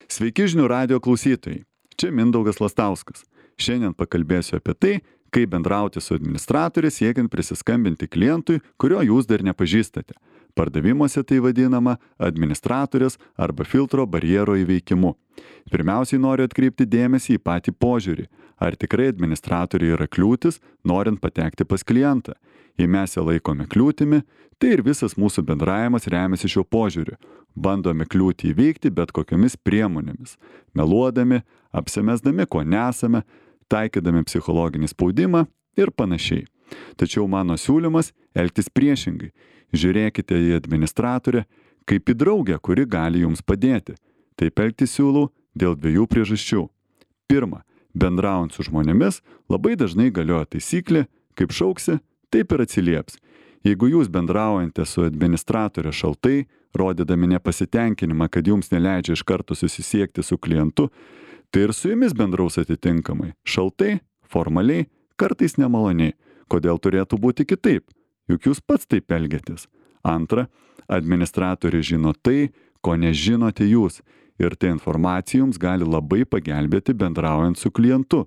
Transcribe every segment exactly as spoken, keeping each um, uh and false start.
Sveiki žinių radijo klausytojai. Čia Mindaugas Lastauskas. Šiandien pakalbėsiu apie tai, kaip bendrauti su administratoriu siekiant prisiskambinti klientui, kurio jūs dar nepažįstate. Pardavimuose tai vadinama administratorės arba filtro barjero įveikimu. Pirmiausiai noriu atkreipti dėmesį į patį požiūrį. Ar tikrai administratoriai yra kliūtis, norint patekti pas klientą? Jei mes ją laikome kliūtimi, tai ir visas mūsų bendravimas remiasi šiuo požiūriu. Bandome kliūtį įveikti bet kokiomis priemonėmis. Meluodami, apsimesdami, ko nesame, taikydami psichologinį spaudimą ir panašiai. Tačiau mano siūlymas elgtis priešingai. Žiūrėkite į administratorę kaip į draugę, kuri gali jums padėti. Taip elgtis siūlau dėl dviejų priežasčių. Pirma, bendraujant su žmonėmis labai dažnai galioja taisyklė, kaip šauksi, taip ir atsilieps. Jeigu jūs bendraujate su administratorė šaltai, rodydami nepasitenkinimą, kad jums neleidžia iš karto susisiekti su klientu, tai ir su jumis bendraus atitinkamai. Šaltai, formaliai, kartais nemaloniai. Kodėl turėtų būti kitaip? Juk jūs pats taip elgiatės. Antra, administratorė žino tai, ko nežinote jūs. Ir ta informacija jums gali labai pagelbėti bendraujant su klientu.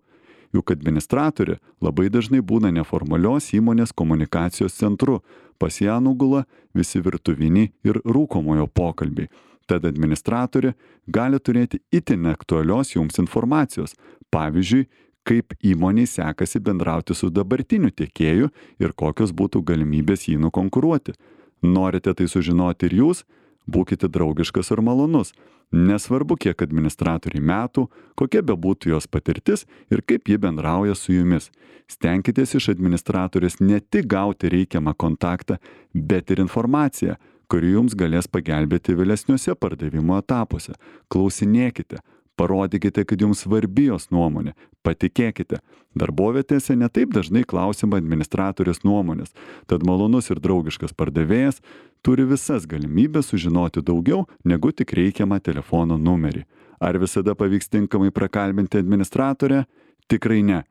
Juk administratorė labai dažnai būna neformalios įmonės komunikacijos centru. Pas ją nugula visi virtuviniai ir rūkomojo pokalbiai. Tad administratorė gali turėti itin aktualios jums informacijos. Pavyzdžiui, kaip įmoniai sekasi bendrauti su dabartiniu tiekėju ir kokios būtų galimybės jį nukonkuruoti. Norite tai sužinoti ir jūs? Būkite draugiškas ir malonus. Nesvarbu, kiek administratoriai metų, kokia bebūtų jos patirtis ir kaip ji bendrauja su jumis. Stenkitės iš administratorės ne tik gauti reikiamą kontaktą, bet ir informaciją, kuri jums galės pagelbėti vėlesniuose pardavimo etapuose. Klausinėkite, parodykite, kad jums svarbi jos nuomonė, patikėkite. Darbovietėse netaip dažnai klausima administratorės nuomonės, tad malonus ir draugiškas pardavėjas turi visas galimybės sužinoti daugiau negu tik reikiamą telefono numerį. Ar visada pavyks tinkamai prakalbinti administratorę? Tikrai ne.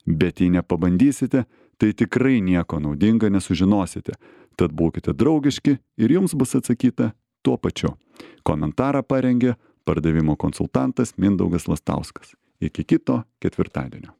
Bet jei nepabandysite, tai tikrai nieko naudinga nesužinosite. Tad būkite draugiški ir jums bus atsakyta tuo pačiu. Komentarą parengė pardavimo konsultantas Mindaugas Lastauskas. Iki kito ketvirtadienio.